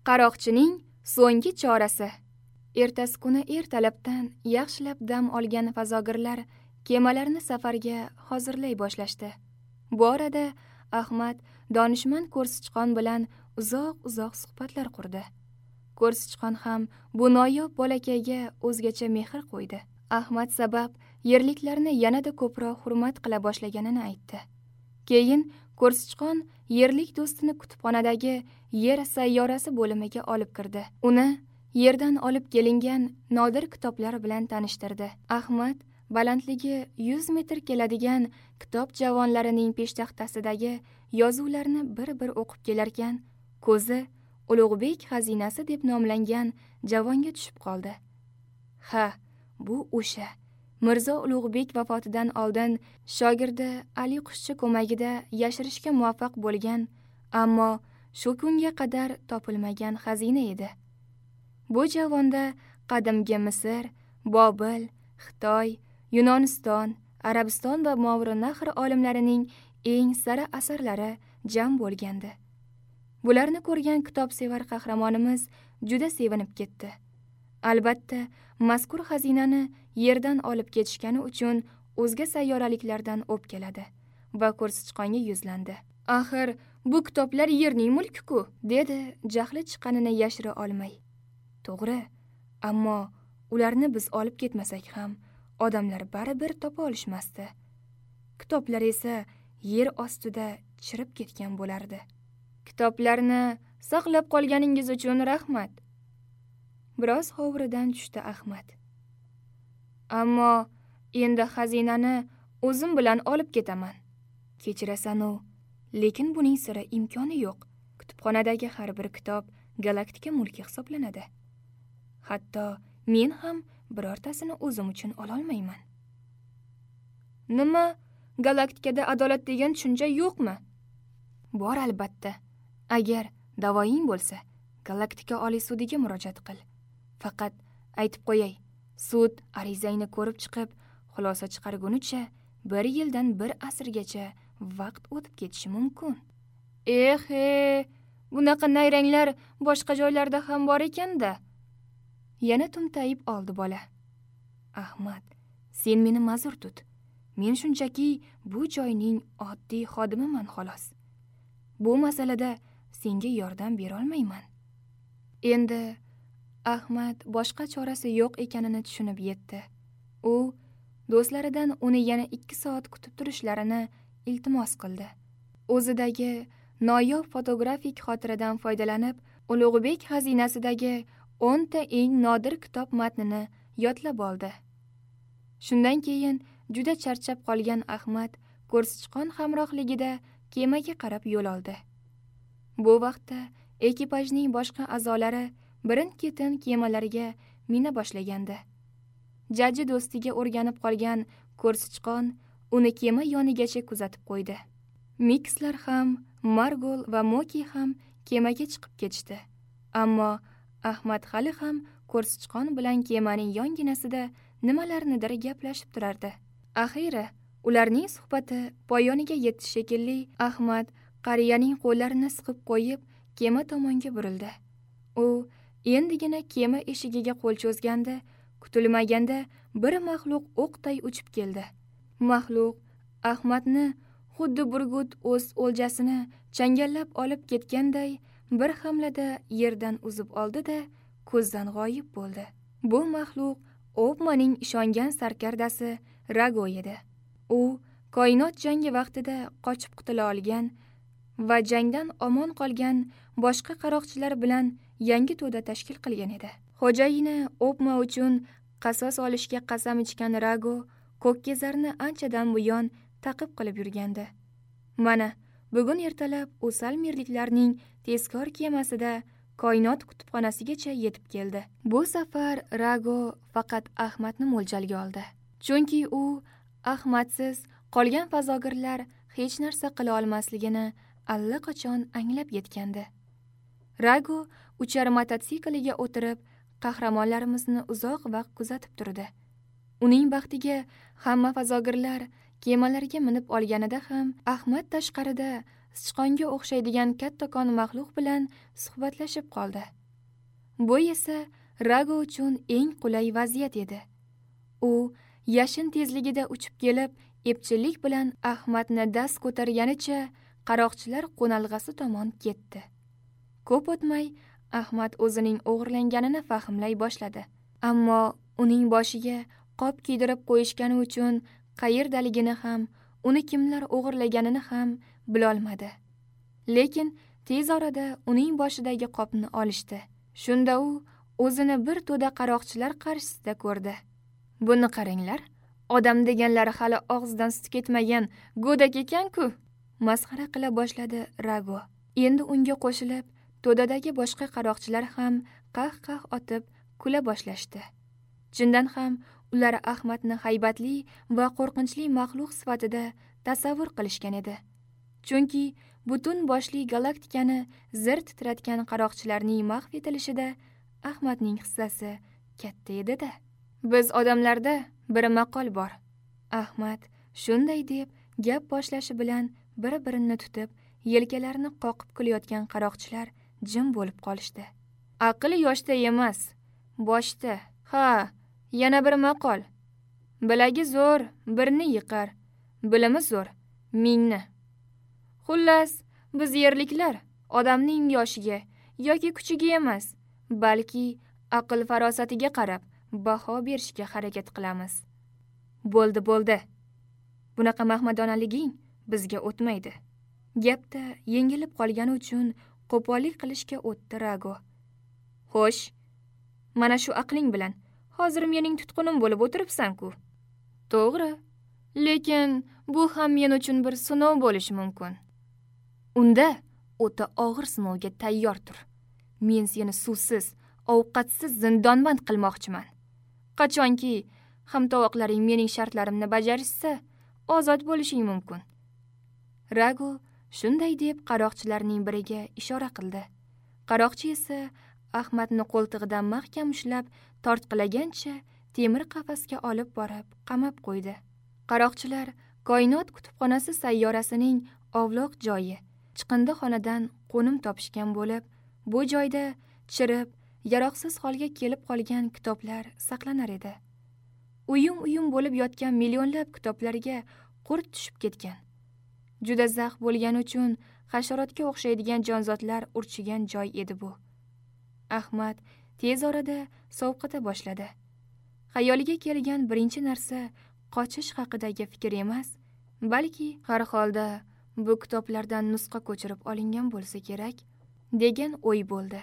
Qaroqchining so'nggi chorasi. Ertasi kuni ertalabdan yaxshilab dam olgan fazogirlar kemalarni safarga hozirlay boshlashdi. Bu orada Ahmad donishmand ko'rsichqon bilan uzoq-uzoq suhbatlar qurdi. Ko'rsichqon ham bu noyob bolakayga o'zgacha mehr qo'ydi. Ahmad sabab yerliklarni yanada ko'proq hurmat qila boshlaganini aytdi. Keyin ko'rsichqon yerlik do'stini kutubxonadagi yer sayyorasi bo'limiga olib kirdi. Uni yerdan olib kelingan nodir kitoblar bilan tanishtirdi. Ahmad balandligi 100 metr keladigan kitob javonlarining peshtaxtasidagi yozuvlarni bir-bir o'qib kelarkan, ko'zi Ulug'bek xazinasi deb nomlangan javonga tushib qoldi. Ha, bu o'sha Mirzo Ulug'bek vafotidan oldin shogirdi Ali Qushchi ko'magida yashirishga muvaffaq bo'lgan, ammo shu kunga qadar topilmagan xazina edi. Bu javonda qadimgi Misr, Bobil, Xitoy, Yunoniston, Arabiston va Movarounnahr olimlarining eng sara asarlari jam bo'lgandi. Bularni ko'rgan kitobsevar qahramonimiz juda sevinib ketdi. Albatta, mazkur xazinani yerdan olib ketishgani uchun o'zga sayyoraliklardan o'pkaladi va ko'rsichqonga yuzlandi. Axir, bu kitoblar yerning mulki-ku, dedi jahli chiqqanini yashira olmay. To'g'ri, ammo ularni biz olib ketmasak ham odamlar baribir topa olishmasdi. Kitoblar esa yer ostida chirib ketgan bo'lardi. Kitoblarni saqlab qolganingiz uchun rahmat. Biroz hovuridan tushdi Ahmad. Ammo endi xazinani o'zim bilan olib ketaman. Kechirasan-u, lekin buning sira imkoni yo'q. Kutubxonadagi har bir kitob galaktika mulki hisoblanadi. Hatto men ham birortasini o'zim uchun ola olmayman. Nima, galaktikada adolat degan tushuncha yo'qmi? Bor albatta. Agar da'voying bo'lsa, galaktika oliy sudiga murojaat qil. Faqat aytib qo'yay, sud arizangni ko'rib chiqib, xulosa chiqargunicha 1 yildan 1 asrgacha vaqt o'tib ketishi mumkin. Eh, bunaqa nayranglar boshqa joylarda ham bor ekan-da. Yana tumtayib oldi bola. Ahmad, sen meni ma'zur tut. Men shunchaki bu joyning oddiy xodimiman xolos. Bu masalada senga yordam bera olmayman. Endi Ahmad boshqa chorasi yo'q ekanini tushunib yetdi. U do'stlaridan uni yana 2 soat kutib turishlarini iltimos qildi. O'zidagi noyob fotografik xotiradan foydalanib, Ulug'bek xazinasidagi 10 ta eng nodir kitob matnini yodlab oldi. Shundan keyin juda charchab qolgan Ahmad ko'rsichqon hamrohligida kemaga qarab yo'l oldi. Bu vaqtda ekipajning boshqa a'zolari birin-ketin kemalarga mina boshlagandi. Jajji do'stiga o'rganib qolgan ko'rsichqon uni kema yonigacha kuzatib qo'ydi. Mikslar ham, Margol va Moki ham kemaga chiqib ketishdi. Ammo Ahmad hali ham ko'rsichqon bilan kemaning yonginasida nimalarnidir gaplashib turardi. Axiyri ularning suhbati poyoniga yetdi shekilli. Ahmad qariyaning qo'llarini siqib qo'yib, kema tomonga burildi. U endigina kema eshigiga qo'l cho'zganda, kutilmaganda bir maxluq o'qday uchib keldi. Maxluq Ahmadni xuddi burgut o'z o'ljasini changallab olib ketganday bir hamlada yerdan uzib oldi-da, ko'zdan g'oyib bo'ldi. Bu maxluq Obmaning ishongan sarkardasi Rago edi. U koinot jangi vaqtida qochib qutula olgan va jangdan omon qolgan boshqa qaroqchilar bilan yangi to'da tashkil qilgan edi. Xo'jayini Obma uchun qasos olishga qasam ichgan Rago Ko'kkezarni anchadan buyon taqib qilib yurgandi. Mana bugun ertalab u salmirliklarning tezkor kemasida koinot kutubxonasigacha yetib keldi. Bu safar Rago faqat Ahmadni mo'ljalga oldi. Chunki u Ahmadsiz qolgan fazogirlar hech narsa qila olmasligini allaqachon anglab yetgandi. Rago uchar mototsikliga o'tirib, qahramonlarimizni uzoq vaqt kuzatib turdi. Uning baxtiga hamma fazogirlar kemalarga minib olganida ham Ahmad tashqarida sichqonga o'xshaydigan kattakon maxluq bilan suhbatlashib qoldi. Bu esa Rago uchun eng qulay vaziyat edi. U yashin tezligida uchib kelib, epchillik bilan Ahmadni dast ko'targanicha qaroqchilar qo'nalg'asi tomon ketdi. Ko'p o'tmay Ahmad o'zining o'g'irlanganini fahmlay boshladi. Ammo uning boshiga qop kiydirib qo'yishgani uchun qayerdaligini ham, uni kimlar o'g'irlaganini ham bilolmadi. Lekin tez orada uning boshidagi qopni olishdi. Shunda u o'zini bir to'da qaroqchilar qarshisida ko'rdi. Buni qaranglar, odam deganlari hali og'zidan sut ketmagan go'dak ekan-ku, masxara qila boshladi Rago. Endi unga qo'shilib, to'dadagi boshqa qaroqchilar ham qah-qah otib kula boshlashdi. Chindan ham ular Ahmadni haybatli va qo'rqinchli maxluq sifatida tasavvur qilishgan edi. Chunki butun boshli galaktikani zir titratgan qaroqchilarning mahv etilishida Ahmadning hissasi katta edi-da. Biz odamlarda bir maqol bor. Ahmad shunday deb gap boshlashi bilan bir-birini tutib, yelkalarini qoqib kulayotgan qaroqchilar jim bo'lib qolishdi. Aql yoshda emas, boshda. Ha, yana bir maqol. Bilagi zo'r birni yiqar, bilimi zo'r mingni. Xullas, biz yerliklar odamning yoshiga yoki kuchiga emas, balki aql farosatiga qarab baho berishga harakat qilamiz. Bo'ldi, bo'ldi. Bunaqa mahmadonaliging bizga o'tmaydi. Gapda yengilib qolgani uchun qo'pollik qilishga o'tdi Rago. Xo'sh, mana shu aqling bilan hozir mening tutqunim bo'lib o'tiribsan-ku. To'g'ri, lekin bu ham men uchun bir sinov bo'lishi mumkin. Unda o'ta og'ir sinovga tayyor tur. Men seni suvsiz, ovqatsiz zindonband qilmoqchiman. Qachonki hamtovoqlaring mening shartlarimni bajarishsa, ozod bo'lishing mumkin. Rago shunday deb qaroqchilarning biriga ishora qildi. Qaroqchi esa Ahmadni qo'ltig'idan mahkam ushlab, tortqilagancha temir qafasga olib borib qamab qo'ydi. Qaroqchilar koinot kutubxonasi sayyorasining ovloq joyi, chiqindixonadan qo'nim topishgan bo'lib, bu joyda chirib, yaroqsiz holga kelib qolgan kitoblar saqlanar edi. Uyum-uyum bo'lib yotgan millionlab kitoblarga qurt tushib ketgan. Juda zax bo'lgani uchun hasharotga o'xshaydigan jonzotlar urchigan joy edi bu. Ahmad tez orada sovqota boshladi. Xayoliga kelgan birinchi narsa qochish haqidagi fikr emas, balki har holda bu kitoblardan nusxa ko'chirib olingan bo'lsa kerak degan o'y bo'ldi.